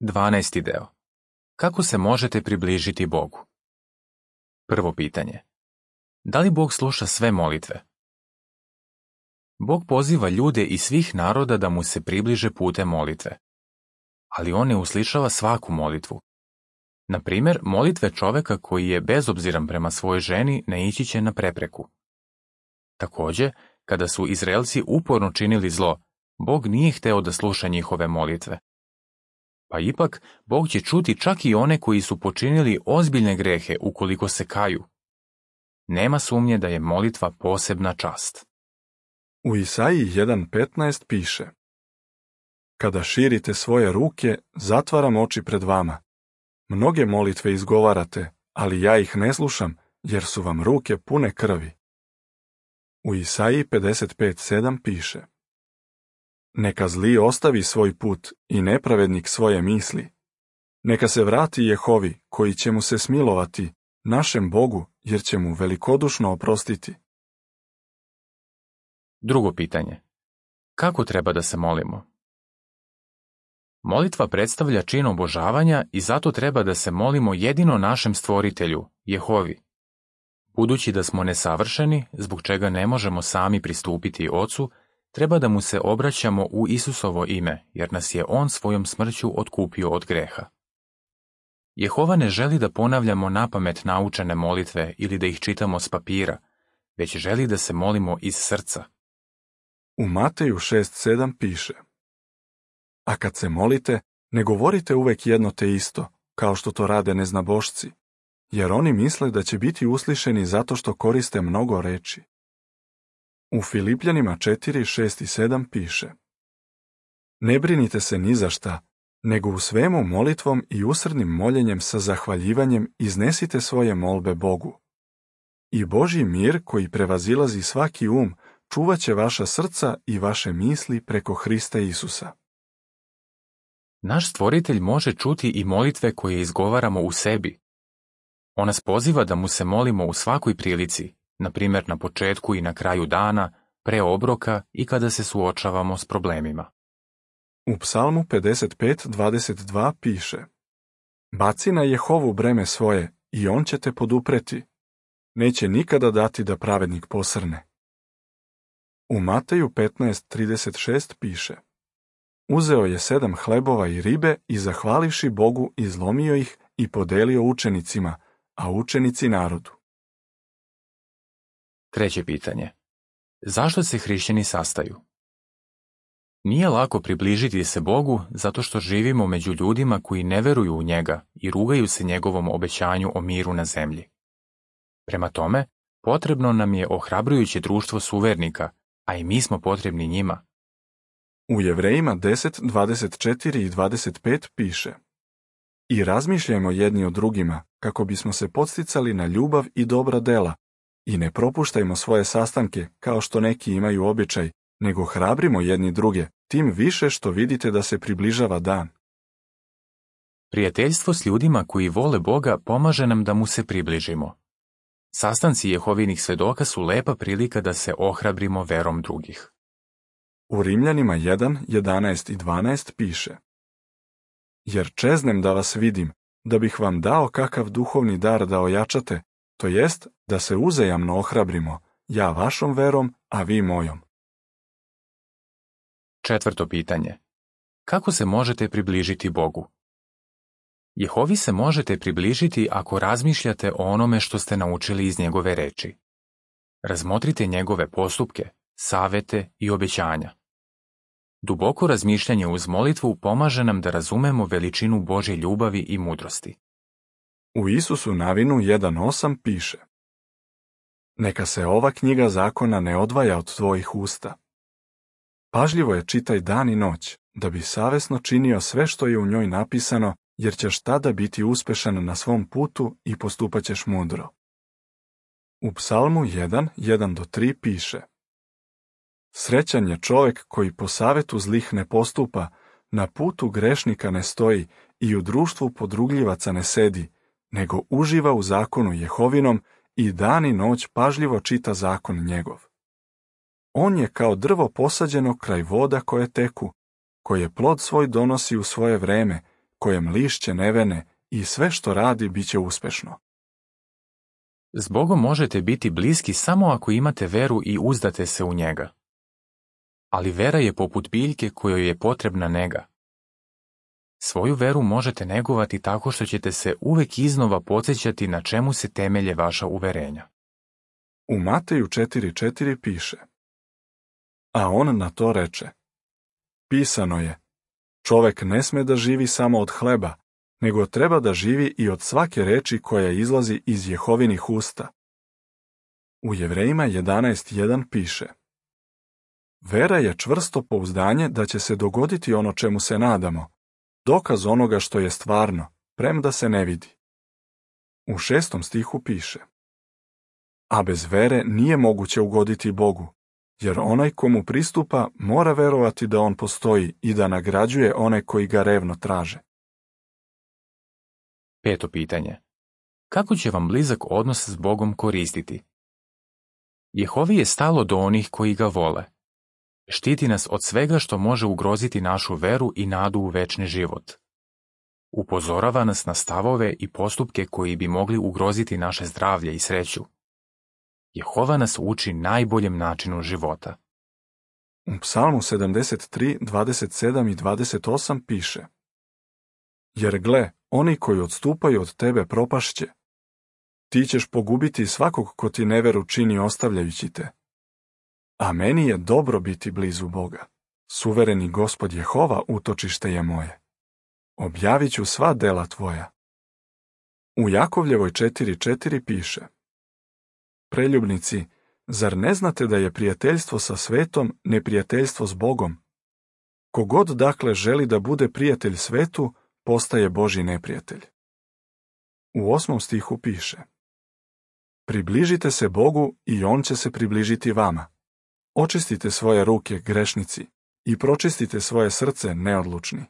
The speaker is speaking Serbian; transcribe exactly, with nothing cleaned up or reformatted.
Dvanaesti deo. Kako se možete približiti Bogu? Prvo pitanje. Da li Bog sluša sve molitve? Bog poziva ljude iz svih naroda da mu se približe putem molitve. Ali on ne uslišava svaku molitvu. Na primjer, molitve čoveka koji je bezobziran prema svojoj ženi naići će na prepreku. Također, kada su Izraelci uporno činili zlo, Bog nije hteo da sluša njihove molitve. Pa ipak, Bog će čuti čak i one koji su počinili ozbiljne grehe ukoliko se kaju. Nema sumnje da je molitva posebna čast. U Isaiji jedan petnaest piše: Kada širite svoje ruke, zatvaram oči pred vama. Mnoge molitve izgovarate, ali ja ih ne slušam, jer su vam ruke pune krvi. U Isaiji pedeset pet sedam piše: Neka zli ostavi svoj put i nepravednik svoje misli. Neka se vrati Jehovi, koji će mu se smilovati, našem Bogu, jer će mu velikodušno oprostiti. Drugo pitanje. Kako treba da se molimo? Molitva predstavlja čin obožavanja i zato treba da se molimo jedino našem stvoritelju, Jehovi. Budući da smo nesavršeni, zbog čega ne možemo sami pristupiti Ocu, treba da mu se obraćamo u Isusovo ime, jer nas je on svojom smrću otkupio od greha. Jehova ne želi da ponavljamo napamet naučene molitve ili da ih čitamo s papira, već želi da se molimo iz srca. U Mateju šest sedam piše: A kad se molite, ne govorite uvek jedno te isto, kao što to rade neznabošci, jer oni misle da će biti uslišeni zato što koriste mnogo reči. U Filipljanima četiri šest i sedam piše: Ne brinite se ni za šta, nego u svemu molitvom i usrdnim moljenjem sa zahvaljivanjem iznesite svoje molbe Bogu. I Božji mir, koji prevazilazi svaki um, čuvat će vaša srca i vaše misli preko Hrista Isusa. Naš stvoritelj može čuti i molitve koje izgovaramo u sebi. On nas poziva da mu se molimo u svakoj prilici, na primjer na početku i na kraju dana, pre obroka i kada se suočavamo s problemima. U Psalmu pedeset pet dvadeset dva piše: Baci na Jehovu breme svoje i on će te podupreti. Neće nikada dati da pravednik posrne. U Mateju petnaest trideset šest piše: Uzeo je sedam hlebova i ribe i zahvalivši Bogu izlomio ih i podelio učenicima, a učenici narodu. Treće pitanje. Zašto se hrišćani sastaju? Nije lako približiti se Bogu zato što živimo među ljudima koji ne veruju u njega i rugaju se njegovom obećanju o miru na zemlji. Prema tome, potrebno nam je ohrabrujuće društvo suvernika, a i mi smo potrebni njima. U Jevrejima deset dvadeset četiri i dvadeset pet piše: I razmišljajmo jedni o drugima, kako bismo se podsticali na ljubav i dobra dela, i ne propuštajmo svoje sastanke, kao što neki imaju običaj, nego hrabrimo jedni druge, tim više što vidite da se približava dan. Prijateljstvo s ljudima koji vole Boga pomaže nam da mu se približimo. Sastanci Jehovinih svedoka su lepa prilika da se ohrabrimo verom drugih. U Rimljanima jedan jedanaest i dvanaest piše: Jer čeznem da vas vidim, da bih vam dao kakav duhovni dar da ojačate, to jest da se uzajamno ohrabrimo, ja vašom verom, a vi mojom. Četvrto pitanje. Kako se možete približiti Bogu? Jehovi se možete približiti ako razmišljate o onome što ste naučili iz njegove reči. Razmotrite njegove postupke, savete i obećanja. Duboko razmišljanje uz molitvu pomaže nam da razumemo veličinu Božje ljubavi i mudrosti. U Isusu Navinu jedan osam piše: Neka se ova knjiga zakona ne odvaja od tvojih usta. Pažljivo je čitaj dan i noć, da bi savesno činio sve što je u njoj napisano, jer ćeš tada biti uspešan na svom putu i postupat ćeš mudro. U Psalmu jedan jedan do tri piše: Srećan je čovek koji po savetu zlih ne postupa, na putu grešnika ne stoji i u društvu podrugljivaca ne sedi, nego uživa u zakonu Jehovinom i dan i noć pažljivo čita zakon njegov. On je kao drvo posađeno kraj voda koje teku, koje plod svoj donosi u svoje vreme, kojem lišće ne vene i sve što radi bit će uspešno. S Bogom možete biti bliski samo ako imate veru i uzdate se u njega. Ali vera je poput biljke kojoj je potrebna nega. Svoju veru možete negovati tako što ćete se uvek iznova podsjećati na čemu se temelje vaša uverenja. U Mateju četiri četiri piše: A on na to reče: Pisano je, čovek ne sme da živi samo od hleba, nego treba da živi i od svake reči koja izlazi iz Jehovinih usta. U Jevrejima jedanaest jedan piše: Vera je čvrsto pouzdanje da će se dogoditi ono čemu se nadamo, dokaz onoga što je stvarno, premda se ne vidi. U šestom stihu piše: A bez vere nije moguće ugoditi Bogu, jer onaj komu pristupa mora verovati da on postoji i da nagrađuje one koji ga revno traže. Peto pitanje. Kako će vam blizak odnos s Bogom koristiti? Jehovi je stalo do onih koji ga vole. Štiti nas od svega što može ugroziti našu veru i nadu u večni život. Upozorava nas na stavove i postupke koji bi mogli ugroziti naše zdravlje i sreću. Jehova nas uči najboljem načinu života. U Psalmu sedamdeset tri, dvadeset sedam i dvadeset osam piše: Jer gle, oni koji odstupaju od tebe propašće. Ti ćeš pogubiti svakog ko ti neveru čini ostavljajući te. A meni je dobro biti blizu Boga. Suvereni Gospod Jehova utočište je moje. Objavit ću sva dela tvoja. U Jakovljevoj četiri četiri piše: Preljubnici, zar ne znate da je prijateljstvo sa svetom neprijateljstvo s Bogom? Kogod dakle želi da bude prijatelj svetu, postaje Božji neprijatelj. U osmom stihu piše: Približite se Bogu i On će se približiti vama. Očistite svoje ruke, grešnici, i pročistite svoje srce, neodlučni.